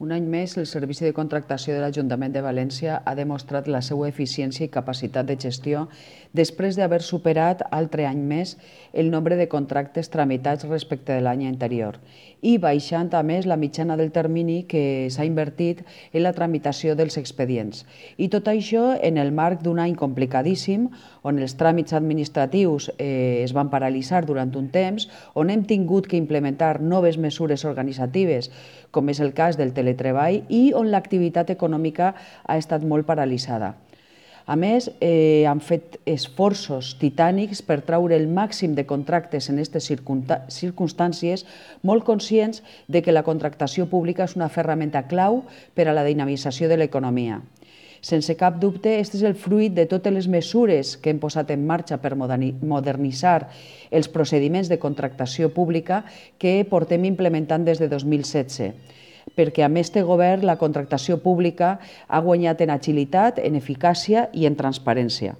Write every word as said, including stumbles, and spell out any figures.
Un any més, el Servici de Contractació de l'Ajuntament de València ha demostrat la seva eficiència i capacitat de gestió després d'haver superat altre any més el nombre de contractes tramitats respecte de l'any anterior i baixant a més la mitjana del termini que s'ha invertit en la tramitació dels expedients. I tot això en el marc d'un any complicadíssim, on els tràmits administratius eh, es van paralitzar durant un temps, on hem tingut que implementar noves mesures organitzatives, com és el cas del teletreball, i on l'activitat econòmica ha estat molt paralitzada. A més, eh, han fet esforços titànics per traure el màxim de contractes en aquestes circumstàncies, molt conscients de que la contractació pública és una ferramenta clau per a la dinamització de l'economia. Sense cap dubte, aquest és el fruit de totes les mesures que hem posat en marxa per modernitzar els procediments de contractació pública que portem implementant des de dos mil setze. Perquè amb este govern la contractació pública ha guanyat en agilitat, en eficàcia i en transparència.